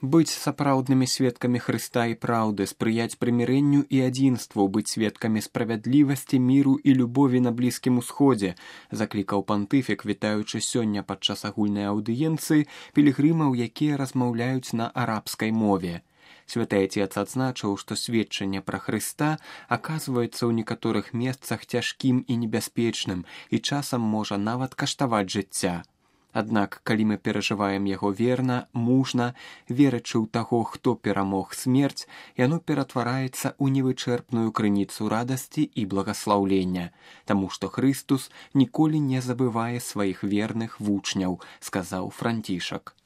Быць сапраўднымі сведкамі Хрыста і праўды, спрыяць прымірэнню і адзінству, быць сведкамі справядлівасці, міру і любові на Блізкім Усходзе, заклікаў пантыфік, вітаючы сёння падчас агульнай аўдыенцыі пілігрымаў, якія размаўляюць на арабскай мове. Святы Отец адзначыў, што сведчанне пра Хрыста аказваецца ў некаторых месцах цяжкім і небяспечным і часам можа нават каштаваць жыцця. Аднак, калі мы перажываем яго верна, мужна, верачы ў таго, хто перамог смерць, яно ператвараецца ў невычэрпную крыніцу радасці і благаслаўлення, таму што Хрыстус ніколі не забывае сваіх верных вучняў, сказаў Францішак.